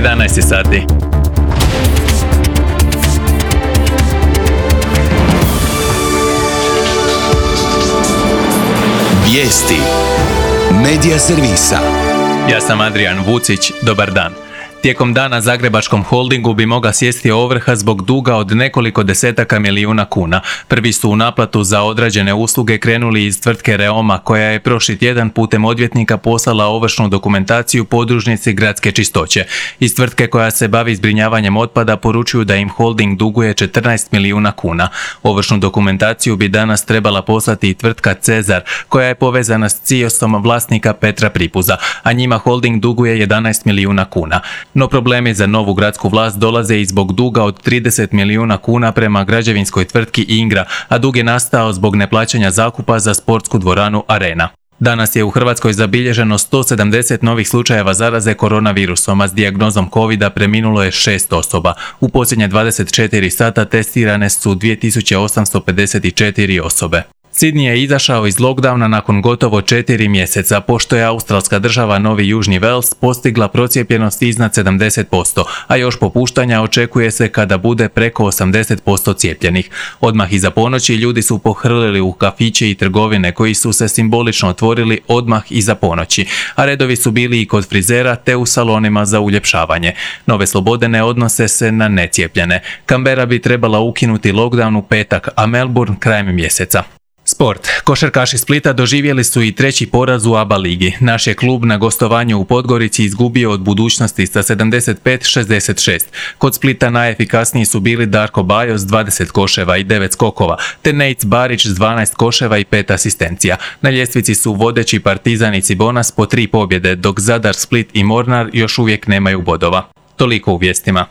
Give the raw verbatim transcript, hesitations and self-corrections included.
jedanaest sati. Vijesti Medija servisa. Ja sam Adrian Vucić, dobar dan. Tijekom dana Zagrebačkom holdingu bi mogla sjesti ovrha zbog duga od nekoliko desetaka milijuna kuna. Prvi su u naplatu za odrađene usluge krenuli iz tvrtke Reoma, koja je prošli tjedan putem odvjetnika poslala ovršnu dokumentaciju podružnici Gradske čistoće. Iz tvrtke koja se bavi zbrinjavanjem otpada poručuju da im holding duguje četrnaest milijuna kuna. Ovršnu dokumentaciju bi danas trebala poslati i tvrtka Cezar, koja je povezana s Ciosom vlasnika Petra Pripuza, a njima holding duguje jedanaest milijuna kuna. No problemi za novu gradsku vlast dolaze i zbog duga od trideset milijuna kuna prema građevinskoj tvrtki Ingra, a dug je nastao zbog neplaćanja zakupa za sportsku dvoranu Arena. Danas je u Hrvatskoj zabilježeno sto sedamdeset novih slučajeva zaraze koronavirusom, a s dijagnozom covida preminulo je šest osoba. U posljednje dvadeset četiri sata testirane su dvije tisuće osamsto pedeset četiri osobe. Sidney je izašao iz lockdowna nakon gotovo četiri mjeseca, pošto je australska država Novi Južni Wales postigla procijepljenost iznad sedamdeset posto, a još popuštanja očekuje se kada bude preko osamdeset posto cijepljenih. Odmah iza ponoći ljudi su pohrlili u kafiće i trgovine koji su se simbolično otvorili odmah iza ponoći, a redovi su bili i kod frizera te u salonima za uljepšavanje. Nove slobode ne odnose se na necijepljene. Canberra bi trebala ukinuti lockdown u petak, a Melbourne krajem mjeseca. Sport. Košarkaši Splita doživjeli su i treći poraz u A B A ligi. Naš je klub na gostovanju u Podgorici izgubio od Budućnosti sa sedamdeset pet šezdeset šest. Kod Splita najefikasniji su bili Darko Bajo s dvadeset koševa i devet skokova, te Nejc Barić s dvanaest koševa i pet asistencija. Na ljestvici su vodeći Partizan i Cibonas po tri pobjede, dok Zadar, Split i Mornar još uvijek nemaju bodova. Toliko u vijestima.